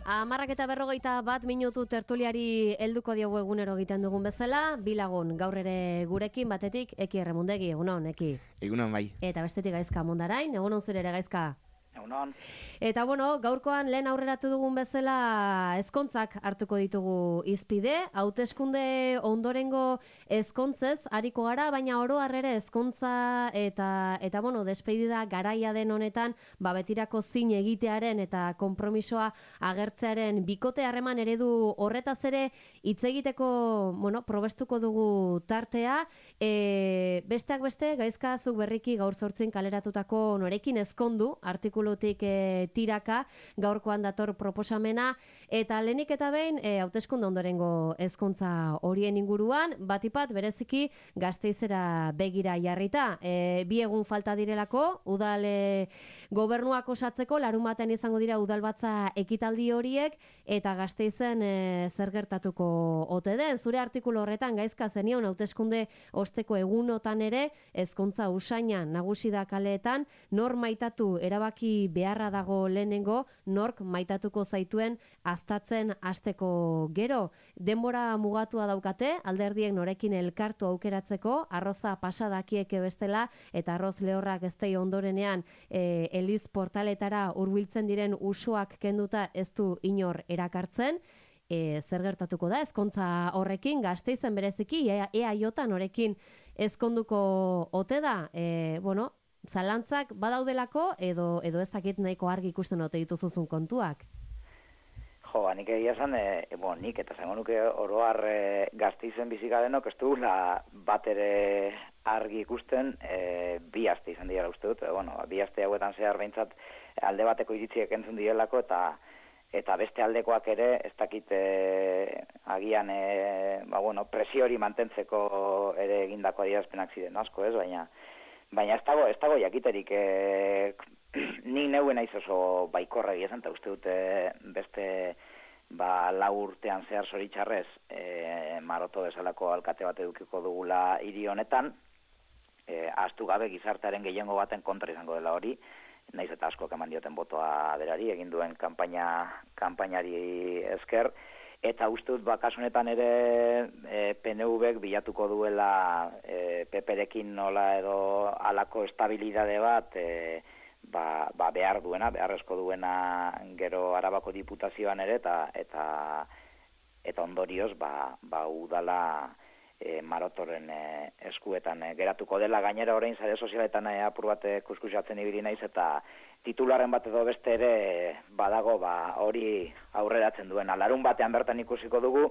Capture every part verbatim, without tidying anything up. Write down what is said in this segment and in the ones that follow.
Amarrak eta berrogeita bat minutu tertuliari helduko diogu egunero egiten dugun bezala, bilagun gaur ere gurekin batetik Eki Erremundegi, egunon, Eki. Egunon bai. Eta bestetik Gaizka Mundarain, egunon zure ere Gaizka. Egunon. Eta bueno, gaurkoan lehen aurreratu dugun bezala ezkontzak hartuko ditugu izpide, hauteskunde ondorengo ezkontzez hariko gara, baina oro har ere ezkontza eta eta bueno, despedida garaia den honetan, ba betirako zin egitearen eta konpromisoa agertzearen bikote harreman eredu horretaz ere hitz egiteko, bueno, probestuko dugu tartea. E, besteak beste, Gaizka zuk berriki gaur zortzin kaleratutako norekin ezkondu artikulu E, tiraka, gaurkoan dator proposamena, eta lehenik eta behin e, hauteskunde ondorengo ezkontza horien inguruan, batipat bereziki Gasteizera begira jarrita. E, bi egun falta direlako, udal e, gobernuak osatzeko, larunbatean izango dira udalbatza ekitaldi horiek, eta Gasteizen e, zer gertatuko ote den. Zure artikulu horretan Gaizka zenion hauteskunde osteko egunotan ere, ezkontza usainan nagusi da kaleetan, nor maitatu erabaki beharra dago lehenengo, nork maitatuko zaituen aztatzen hasteko gero. Denbora mugatua daukate, alderdiek norekin elkartu aukeratzeko, arroza pasadakieke bestela, eta arroz lehorrak eztei ondorenean e, Eliz portaletara hurbiltzen diren usuak kenduta ez du inor erakartzen. E, zer gertatuko da ezkontza horrekin, Gasteizen bereziki, ea, ea jota norekin ezkonduko ote da, e, bueno, zalantzak badaudelako edo edo ez dakit nahiko argi ikusten ote dituzuzun kontuak. Jo, nik egia esan, e, bon, nik eta zango nuke oro har e, Gasteizen bizika denok ez dugula bat ere argi ikusten, e, bi aste izan dira uste dut, e, bueno, bi aste hauetan zehar behintzat alde bateko iritziek entzun direlako eta eta beste aldekoak ere ez dakit e, agian e, ba, bueno, presio hori mantentzeko ere egindako adierazpenak ziren asko, ez, baina Baina ez dago, ez dago jakiterik, e, ni neuen naiz oso baikorra egia esan, eta uste dute beste ba, lau urtean zehar zoritxarrez e, Maroto bezalako alkate bat edukiko dugula hiri honetan, e, ahaztu gabe gizartearen gehiengo baten kontra izango dela hori, naiz eta asko eman dioten botoa berari, egin duen kanpaina, kanpainari esker, eta uste dut kasu honetan ere e, P N V-ek bilatuko duela e, P P-rekin nola edo halako estabilidade bat e, ba, ba behar duena, beharrezko duena gero Arabako diputazioan ere eta eta, eta ondorioz ba, ba udala e, Marotoren e, eskuetan e, geratuko dela. Gainera orain sare sozialetan e, apur bat kuskusatzen ibili naiz eta titularren bat edo beste ere badago ba hori aurreratzen duena. Larun batean bertan ikusiko dugu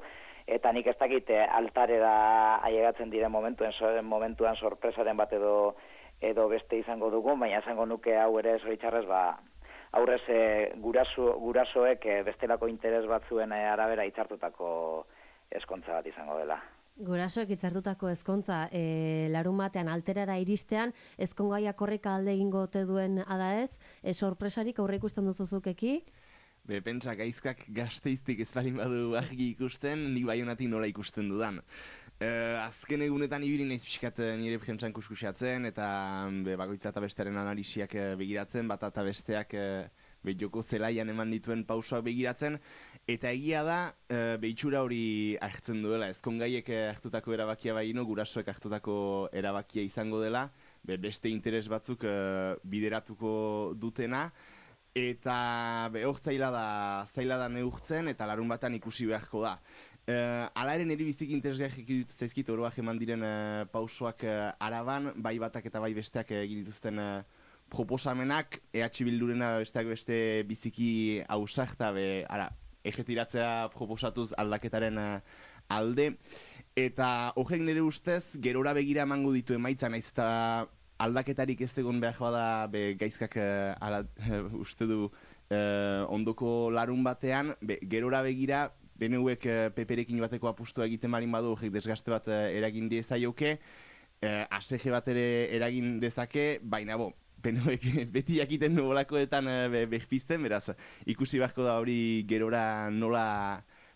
eta nik ez dakit altarera ailegatzen diren momentuen momentuan sorpresaren bat edo edo beste izango dugu, baina izango nuke hau ere zoritxarrez ba aurrez e, guraso, gurasoek e, bestelako interes batzuen e, arabera hitzartutako ezkontza bat izango dela. Gurasoek hitzartutako ezkontza, e, larun batean alterara iristean, ezkongaiak horrek alde egingo ote duen ada ez, e, sorpresarik aurre ikusten duzuzuk eki? Be, pentsa, Gaizkak Gasteiztik ez balin badu argi ikusten, nik Baionatik nola ikusten dudan. E, azken egunetan ibili naiz pixkat nire prentsan kuskusatzen, eta be, bakoitza eta bestearen analisiak begiratzen, bat eta besteak e, be, joko zelaian eman dituen pausoak begiratzen, eta egia da, e, behitxura hori hartzen duela, ezkongaiek hartutako erabakia baino, gurasoek hartutako erabakia izango dela, be, beste interes batzuk e, bideratuko dutena, eta be, hor zaila da, zaila da neurtzen, eta larun batan ikusi beharko da. E, ala ere niri biziki interesgarrik dut zaizkit oroak eman diren e, pausoak e, Araban, bai batak eta bai besteak egin dituzten e, proposamenak, E H Bildurena besteak beste biziki ausarta be, ara, ejetiratzea proposatuz aldaketaren uh, alde, eta horrek nire ustez, gerora begira emango ditu emaitza, naiz eta aldaketarik ez egon behar bada be, Gaizkak uh, ala, uh, uste du uh, ondoko larun batean, be, gerora begira, B N Uek uh, P P-rekin bateko apustua egiten marin badu, horrek desgaste bat uh, eragin diezaioke, uh, A S G bat ere eragin dezake, baina bo, P N Uek beti jakiten nolakoetan uh, behpizten, beraz, ikusi beharko da hori gerora nola,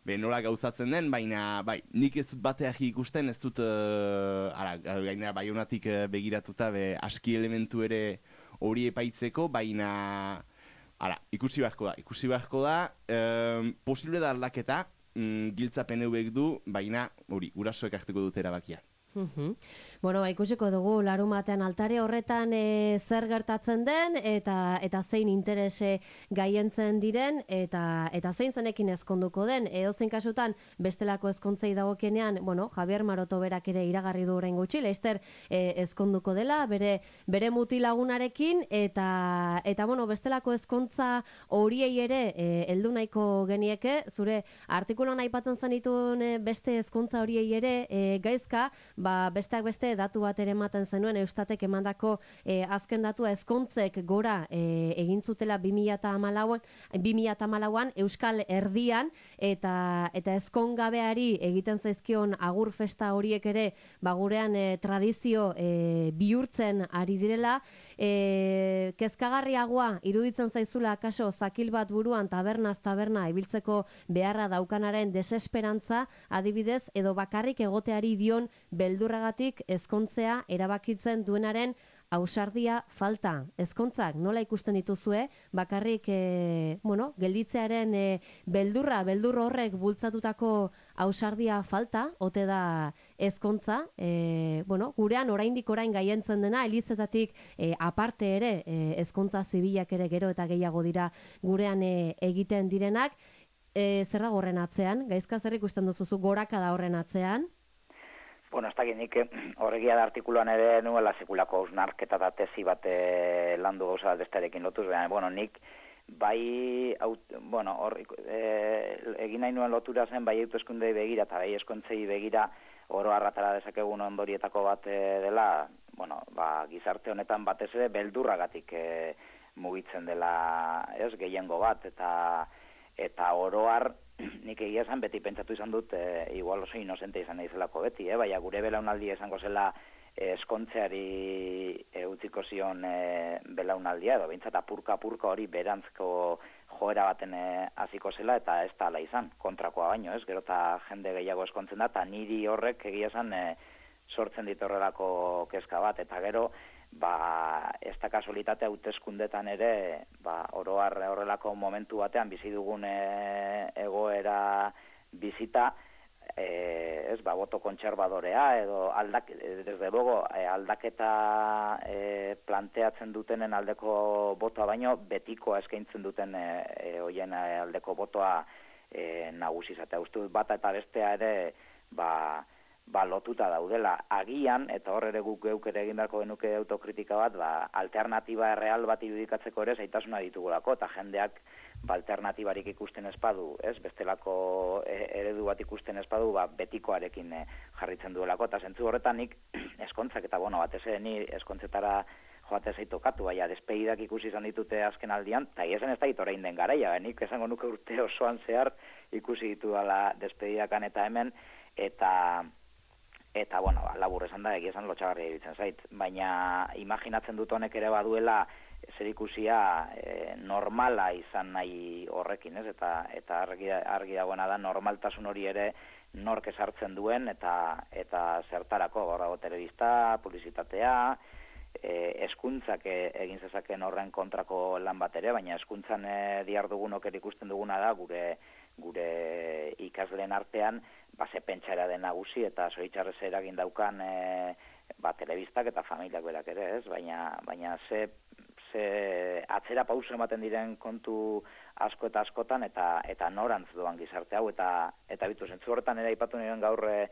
be, nola gauzatzen den, baina bai, nik ez dut bateak ikusten, ez dut, uh, ara, gainera Baionatik uh, begiratuta, be, aski elementu ere hori epaitzeko, baina Ara, ikusi beharko da, ikusi beharko da, eh, posible da aldaketa, mm, giltza P N Vek du, baina hori, gurasoek hartuko dute erabakia. Uhum. Bueno, ba, ikusiko dugu larumatean altare horretan e, zer gertatzen den eta eta zein interese gaientzen diren eta eta zein zenekin ezkonduko den. Edozein kasutan bestelako ezkontzei dagokienean, bueno, Javier Maroto berak ere iragarri du orain gutxi, Leister e, ezkonduko dela bere bere mutilagunarekin eta eta bueno, bestelako ezkontza horiei ere heldu e, nahiko genieke, zure artikuluan aipatzen zenituen e, beste ezkontza horiei ere e, gaizka, ba, besteak beste datu bat ere ematen zenuen Eustatek emandako e, azken datua ezkontzek gora e, egin zutela bi mila hamalauan Euskal Herrian eta eta ezkongabeari egiten zaizkion agur festa horiek ere ba, gurean e, tradizio e, bihurtzen ari direla. E, kezkagarriagoa iruditzen zaizula akaso zakil bat buruan tabernaz taberna ibiltzeko beharra daukanaren desesperantza adibidez edo bakarrik egoteari dion beldurragatik ezkontzea erabakitzen duenaren ausardia falta. Ezkontzak nola ikusten dituzue, bakarrik e, bueno, gelditzearen e, beldurra, beldur horrek bultzatutako ausardia falta, ote da ezkontza, e, bueno, gurean oraindik orain gaientzen dena, elizetatik e, aparte ere, e, ezkontza zibilak ere gero eta gehiago dira gurean e, egiten direnak, e, zer da horren atzean? Gaizka zer ikusten duzuzu goraka da horren atzean? Bueno, ez dakit nik horregia da artikuluan ere nuela sekulako hausnarketa eta tesi bat e, landu gauza bestearekin lotuz, baina, bueno, nik bai, aut, bueno, hor, e, egin nahi nuen lotura zen, bai hauteskundei begira eta bai eskontzei begira oro harratara dezakegun ondorietako bat e, dela, bueno, ba, gizarte honetan batez ere beldurragatik e, mugitzen dela, ez, gehiengo bat, eta eta oro har nik egia esan beti pentsatu izan dut, e, igual oso inozente izan naizelako beti, eh? Baina gure belaunaldia izango zela eskontzeari e, utziko zion e, belaunaldia, edo behintzat apurka-apurka hori berantzko joera baten hasiko zela, eta ez da ala izan, kontrakoa baino, ez? Gero eta jende gehiago eskontzen da, eta niri horrek egia esan e, sortzen dit horrelako kezka bat, eta gero, ba, ez da kasualitate hauteskundetan ere, ba, oro har horrelako momentu batean bizi dugun e, egoera bizita, e, ez, ba, boto kontserbadorea edo aldak, desde luego, e, aldaketa e, planteatzen dutenen aldeko botoa baino, betikoa eskaintzen duten e, e, hoien aldeko botoa e, nagusizatea. Uste dut bata eta bestea ere, ba, ba, lotuta daudela. Agian, eta hor ere guk geuk ere egin beharko genuke autokritika bat, ba, alternatiba real bat irudikatzeko ere zaitasuna ditugulako, eta jendeak ba, alternatibarik ikusten espadu, ez? Bestelako eredu bat ikusten espadu, ba, betikoarekin e, jarritzen duelako, eta zentzu horretan nik eskontzak, eta bueno, batez ere ni eskontzetara joate zaitokatu, baina despedidak ikusi izan ditute azken aldian, eta esan ez da hit orain den garaia, nik esango nuke urte osoan zehar ikusi ditu dela despedidakan eta hemen, eta Eta, bueno, ba, labur esan da, egia esan lotxagarria iruditzen zait. Baina imaginatzen dut honek ere baduela zer ikusia e, normala izan nahi horrekin, ez? Eta, eta argi, argi dagoena da normaltasun hori ere nork esartzen duen eta eta zertarako, gaur dago telebista, publizitatea, e, eskuntzak egin zezaken horren kontrako lan bat ere, baina eskuntzan e, diardugunok ere ikusten duguna da, gure gure ikasleen artean, ba, ze pentsara den nagusi eta zoritxarrez eragin daukan e, ba, telebistak eta familiak berak ere, ez? Baina, baina ze, ze atzera pauso ematen diren kontu asko eta askotan eta eta norantz doan gizarte hau, eta eta bitu zentzu horretan ere aipatu niren gaur e,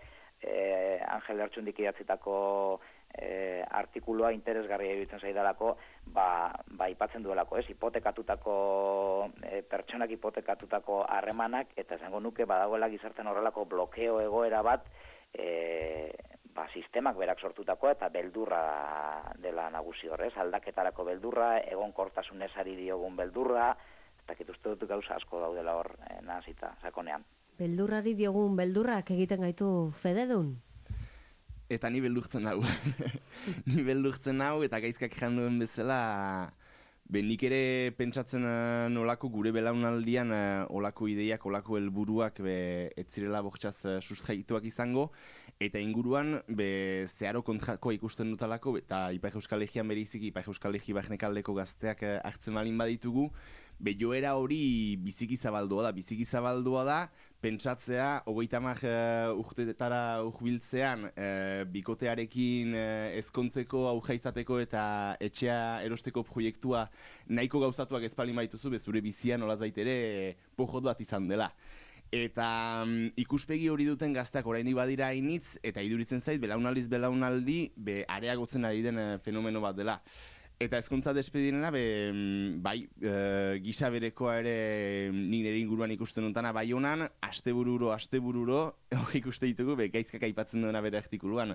Angel Lertxundik idatzitako e, artikulua interesgarria iruditzen zaidalako, ba, ba ipatzen duelako, ez? Hipotekatutako, e, pertsonak hipotekatutako harremanak, eta esango nuke badagoela gizartean horrelako blokeo egoera bat, e, ba, sistemak berak sortutako eta beldurra dela nagusi horrez, aldaketarako beldurra, egonkortasun ezari diogun beldurra, eta kituzte dut gauza asko daudela hor e, nahazita, sakonean. Beldurrari diogun beldurrak egiten gaitu fededun? Eta ni beldurtzen hau. Ni beldurtzen hau, eta gaizkak jan duen bezala, be, nik ere pentsatzen uh, nolako gure belaunaldian uh, olako ideiak, olako helburuak be, ez zirela bortxaz uh, sustraituak izango, eta inguruan be, zeharo kontrakoa ikusten dutalako, eta Ipar Euskal Herrian bereizik, Ipar Euskal Herri barnekaldeko gazteak uh, hartzen malin baditugu, be joera hori biziki zabaldua da, biziki zabaldua da, pentsatzea, hogeita hamar uh, urtetara urbiltzean, uh, bikotearekin uh, ezkontzeko, auja izateko eta etxea erosteko proiektua nahiko gauzatuak ezpalin baituzu, bezure bizian olaz baitere pojot bat izan dela. Eta um, ikuspegi hori duten gazteak orainik badira hainitz, eta iduritzen zait, belaunaldiz belaunaldi, be areagotzen ari den uh, fenomeno bat dela. Eta ezkontza despedinena, be, bai, e, gisa berekoa ere ni nire inguruan ikusten duntana bai honan, astebururo, astebururo, hori ikuste ditugu, be, gaizkak aipatzen duena bere artikuluan.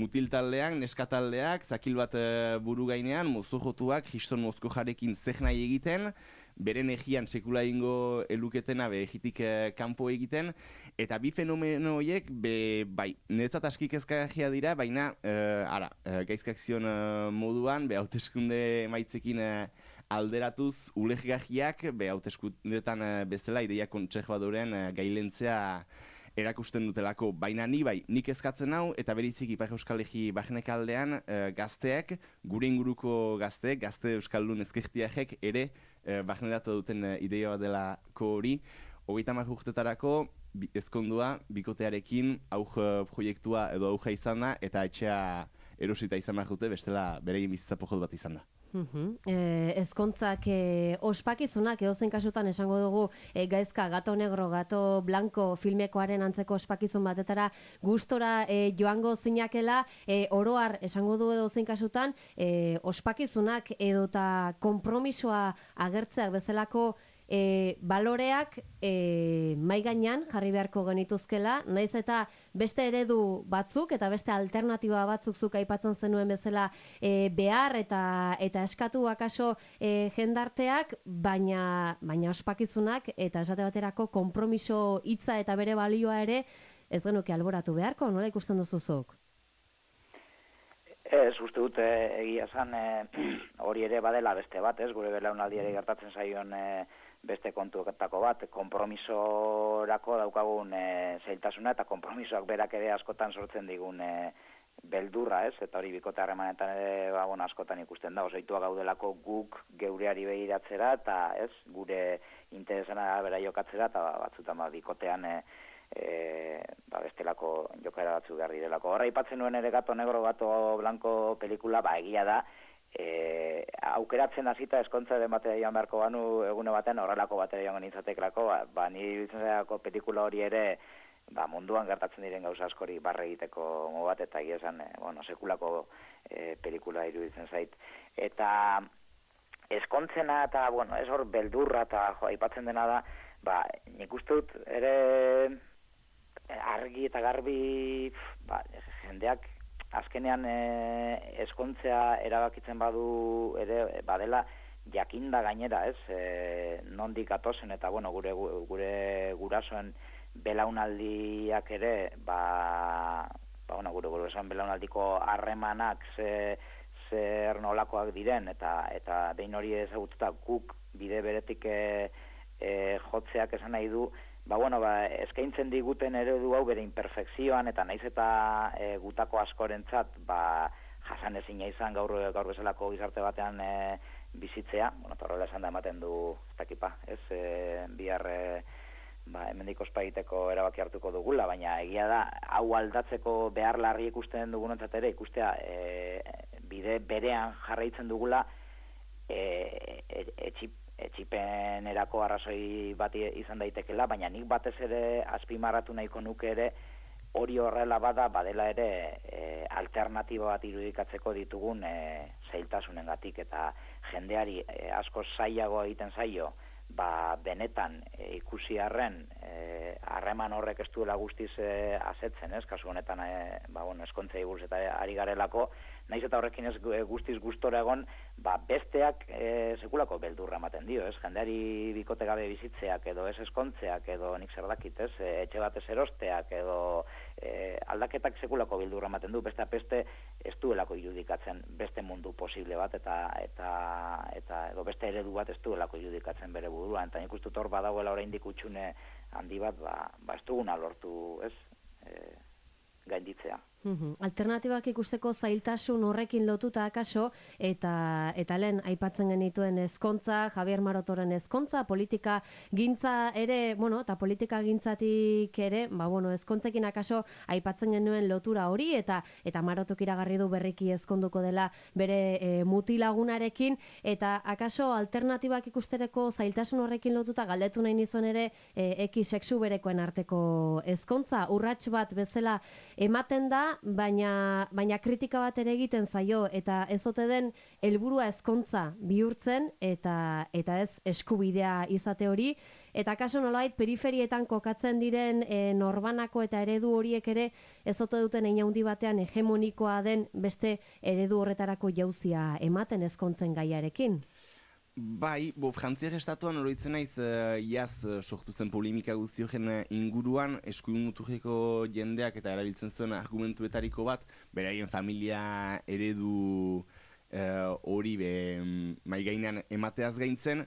Mutil taldeak, neska taldeak, zakil bat e, buru gainean, mozo jotuak, Kriston mozko jarekin zeh nahi egiten, beren egian sekula ingo eluketena be egitik eh, kanpo egiten, eta bi fenomeno horiek, be, bai, niretzat aski kezkagarria dira, baina, eh, ara, eh, gaizkak zion eh, moduan, be, hauteskunde emaitzekin eh, alderatuz, uleggarriak, be, hauteskundetan eh, bezala, ideia kontserbadorean eh, gailentzea erakusten dutelako, baina ni bai, nik ezkatzen hau, eta berezik Ipar Euskal Herri barnek aldean, e, gazteak, gure inguruko gazteek, gazte euskaldun ezkertiakek ere e, barneratu duten e, ideia bat delako hori, hogeita hamar urtetarako bi, ezkondua, bikotearekin, auj proiektua edo auja izan da, eta etxea erosita izan behar dute, bestela bereien bizitza pojot bat izan da. Uhum. E, ezkontzak e, ospakizunak edozein kasutan esango dugu e, gaizka gato negro, gato blanco filmekoaren antzeko ospakizun batetara gustora e, joango zinakela, e, oroar esango du edozein kasutan e, ospakizunak edota konpromisoa agertzeak bezalako E, baloreak e, mai gainean jarri beharko genituzkela, naiz eta beste eredu batzuk eta beste alternatiba batzuk zuk aipatzen zenuen bezala e, behar eta eta eskatu akaso e, jendarteak, baina baina ospakizunak eta esate baterako konpromiso hitza eta bere balioa ere ez genuke alboratu beharko, nola ikusten duzuzuk? Ez, uste dute egia esan hori ere badela beste bat, ez, gure belaunaldiari gertatzen zaion e, beste kontuetako bat, konpromisorako daukagun e, zailtasuna eta konpromisoak berak ere askotan sortzen digun e, beldurra, ez, eta hori bikote harremanetan ere ba, bon, askotan ikusten da, osoitua gaudelako guk geureari behiratzera eta ez, gure interesena bera jokatzera eta batzutan ba, bikotean e, E, ba, bestelako jokaera batzu behar direlako. Horra ipatzen nuen ere gato negro, gato blanco pelikula, ba, egia da, e, aukeratzen hasita eskontza den batera joan beharko banu egune batean horrelako batera joan genitzatekelako, ba, ba ni bizitzenako pelikula hori ere ba, munduan gertatzen diren gauza askori barre egiteko mo bat, eta egia esan, e, bueno, sekulako e, pelikula iruditzen zait. Eta eskontzena eta, bueno, ez hor beldurra eta jo, aipatzen dena da, ba, nik uste dut ere argi eta garbi ba, jendeak azkenean e, eskontzea erabakitzen badu ere badela jakinda gainera, ez, e, nondik atozen eta bueno, gure gure gurasoen belaunaldiak ere ba, ba bueno, gure gurasoen belaunaldiko harremanak ze, zer nolakoak diren eta eta behin hori ezagututa guk bide beretik e, e, jotzeak esan nahi du. Ba, bueno, ba, eskaintzen diguten eredu hau bere imperfekzioan, eta naiz eta e, gutako askorentzat, ba, jasan ezina izan gaur, gaur bezalako gizarte batean e, bizitzea, bueno, eta horrela esan da ematen du, ez dakipa, ez, e, bihar, e, ba, hemendik ospa egiteko erabaki hartuko dugula, baina egia da, hau aldatzeko behar larri ikusten dugunontzat ere, ikustea, e, bide berean jarraitzen dugula, e, e, etxip, etxipenerako arrazoi bat izan daitekela, baina nik batez ere azpimarratu nahiko nuke ere hori horrela bada, badela ere e, alternatiba bat irudikatzeko ditugun e, zailtasunengatik eta jendeari e, asko zailago egiten zaio, ba, benetan e, ikusi arren harreman e, horrek ez duela guztiz e, asetzen, ez, kasu honetan e, ba, bueno, eskontzei buruz eta ari garelako, naiz eta horrekin ez guztiz gustora egon, ba, besteak e, sekulako beldurra ematen dio, ez? Jendeari bikote gabe bizitzeak edo ez eskontzeak edo nik zer dakit, ez? E, etxe batez erosteak edo e, aldaketak sekulako beldurra ematen du, beste beste ez duelako irudikatzen beste mundu posible bat eta eta eta edo beste eredu bat ez duelako irudikatzen bere buruan, eta nik uste hor badagoela oraindik hutsune handi bat, ba, ba ez duguna lortu, ez? E, gainditzea. Alternatibak ikusteko zailtasun horrekin lotuta akaso, eta eta lehen aipatzen genituen ezkontza, Javier Marotoren ezkontza, politika gintza ere, bueno, eta politika gintzatik ere, ba, bueno, ezkontzekin akaso aipatzen genuen lotura hori, eta eta Marotok iragarri du berriki ezkonduko dela bere e, mutilagunarekin, eta akaso alternatibak ikustereko zailtasun horrekin lotuta galdetu nahi nizuen ere e, eki sexu berekoen arteko ezkontza, urrats bat bezala ematen da, baina baina kritika bat ere egiten zaio, eta ez ote den helburua ezkontza bihurtzen eta eta ez eskubidea izate hori, eta kaso nolabait periferietan kokatzen diren e, norbanako eta eredu horiek ere ez ote duten hein handi batean hegemonikoa den beste eredu horretarako jauzia ematen ezkontzen gaiarekin. Bai, bo, Frantziak estatuan oroitzen naiz, uh, iaz uh, sortu zen polemika guzti horren uh, inguruan, eskuin muturreko jendeak eta erabiltzen zuen argumentuetariko bat, beraien familia eredu hori uh, be mai gainean emateaz gaintzen,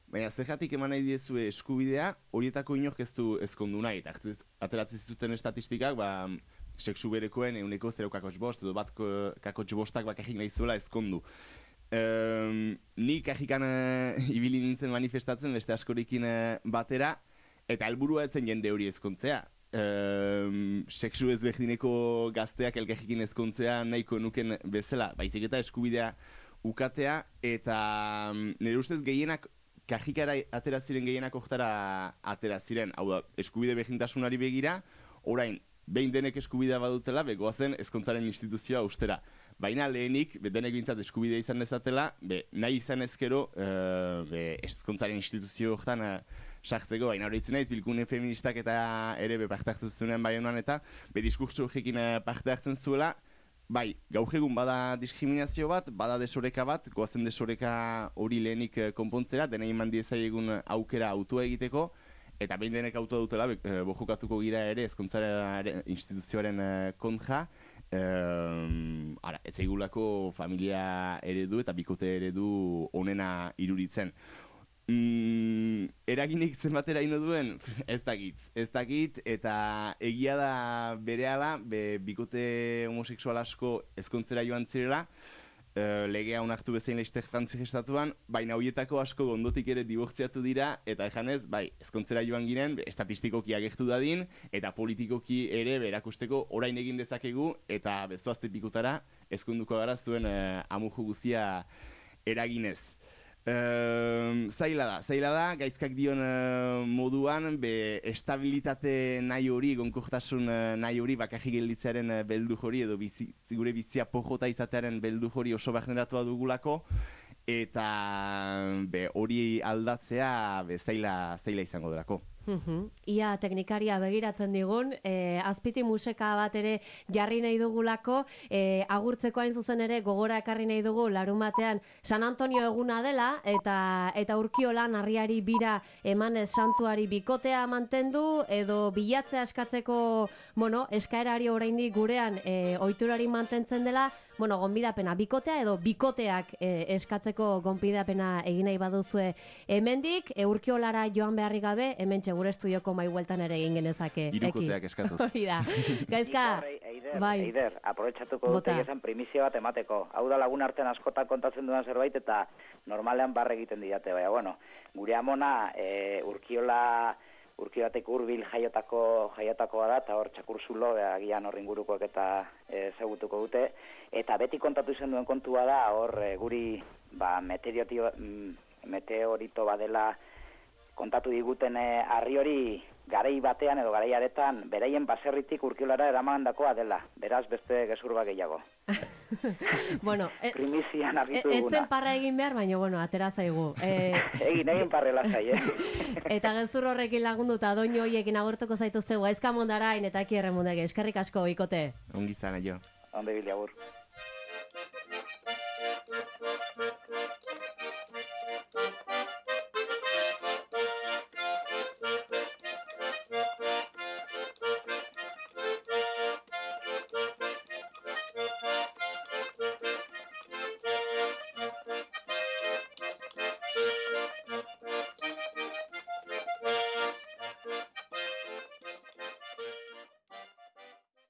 baina zergatik eman nahi diezu eskubidea, horietako inork ez du ezkondu nahi, eta ateratzen zituzten estatistikak, ba, sexu berekoen euneko zero kakotx bost, edo bat kakotx bostak bakarrik nahi zuela ezkondu. Um, ni kajikan uh, ibili nintzen manifestatzen beste askorikin uh, batera, eta helburua etzen jende hori ezkontzea. Um, sexu ezberdineko gazteak elkarrekin ezkontzea nahiko nuken bezala, baizik eta eskubidea ukatea, eta um, nire ustez gehienak, kajikara atera ziren gehienak oktara atera ziren, hau da, eskubide berdintasunari begira, orain, behin denek eskubidea badutela, begoazen ezkontzaren instituzioa ustera. Baina lehenik, denek bintzat eskubidea izan dezatela, be, nahi izan ezkero, uh, be, ezkontzaren instituzio horretan uh, sartzeko, baina horretzen naiz, bilgune feministak eta ere be parte hartzen zuenean bai honan eta, be diskurtso horrekin uh, parte hartzen zuela, bai, gaur egun bada diskriminazio bat, bada desoreka bat, goazen desoreka hori lehenik uh, konpontzera, dena iman diezaiegun aukera autua egiteko, eta behin denek autua dutela, be, uh, bojokatuko gira ere ezkontzaren instituzioaren uh, kontra, Um, ara, ez zaigulako familia eredu eta bikote eredu onena iruritzen. Mm, eraginik zenbatera ino duen? Ez dakit, ez dakit, eta egia da berehala, be, bikote homoseksual asko ezkontzera joan zirela, Uh, legea onartu bezain leiztek Frantziak estatuan, baina horietako asko ondotik ere dibortziatu dira, eta ejanez, bai, ezkontzera joan ginen, be, estatistikoki agertu dadin, eta politikoki ere berakusteko orain egin dezakegu, eta bezoazte pikutara ezkonduko gara zuen uh, amuju guztia eraginez. Uh, zaila da, zaila da, gaizkak dion uh, moduan, be, estabilitate nahi hori, gonkortasun uh, nahi hori, bakarrik gelditzearen uh, beldu hori, edo bizi, gure bizia pojota izatearen beldu hori oso barneratua dugulako, eta be, hori aldatzea be, zaila, zaila izango delako. Uhum. Ia teknikaria begiratzen digun, e, azpiti museka bat ere jarri nahi dugulako, e, agurtzeko hain zuzen ere gogora ekarri nahi dugu larun batean San Antonio eguna dela, eta eta Urkiolan harriari bira emanez santuari bikotea mantendu, edo bilatzea eskatzeko, bueno, eskaerari oraindik gurean e, ohiturari mantentzen dela, bueno, gonbidapena bikotea edo bikoteak e, eskatzeko gonbidapena egin nahi baduzue hemendik, e, Urkiolara joan beharrik gabe, hemen gure estudioko mai bueltan ere egin genezake. Hirukoteak eskatuz. Hori da. Gaizka, Eider, bai. Eider, aprobetxatuko dute esan primizia bat emateko. Hau da lagun artean askotan kontatzen dudan zerbait eta normalean barre egiten didate. Baina, bueno, gure amona e, Urkiola, Urkiolatek hurbil jaiotako, jaiotako da, eta hor txakurzulo, agian horri ingurukoak eta ezagutuko dute. Eta beti kontatu izan duen kontua da, hor e, guri ba, meteorito badela kontatu diguten eh, harri hori garei batean edo garei aretan beraien baserritik Urkiolara eramandakoa dela. Beraz beste gezur bat gehiago. Bueno, e, primizian argitu duguna. Etzen parra egin behar, baina bueno, atera zaigu. E, egin, egin parrela zai, eh? Eta gezur horrekin lagunduta doinu horiekin agortuko zaituztegu gaizka mondarain eta eki erremundege. Eskerrik asko, ikote. Ongi zana jo. Onde bili agur.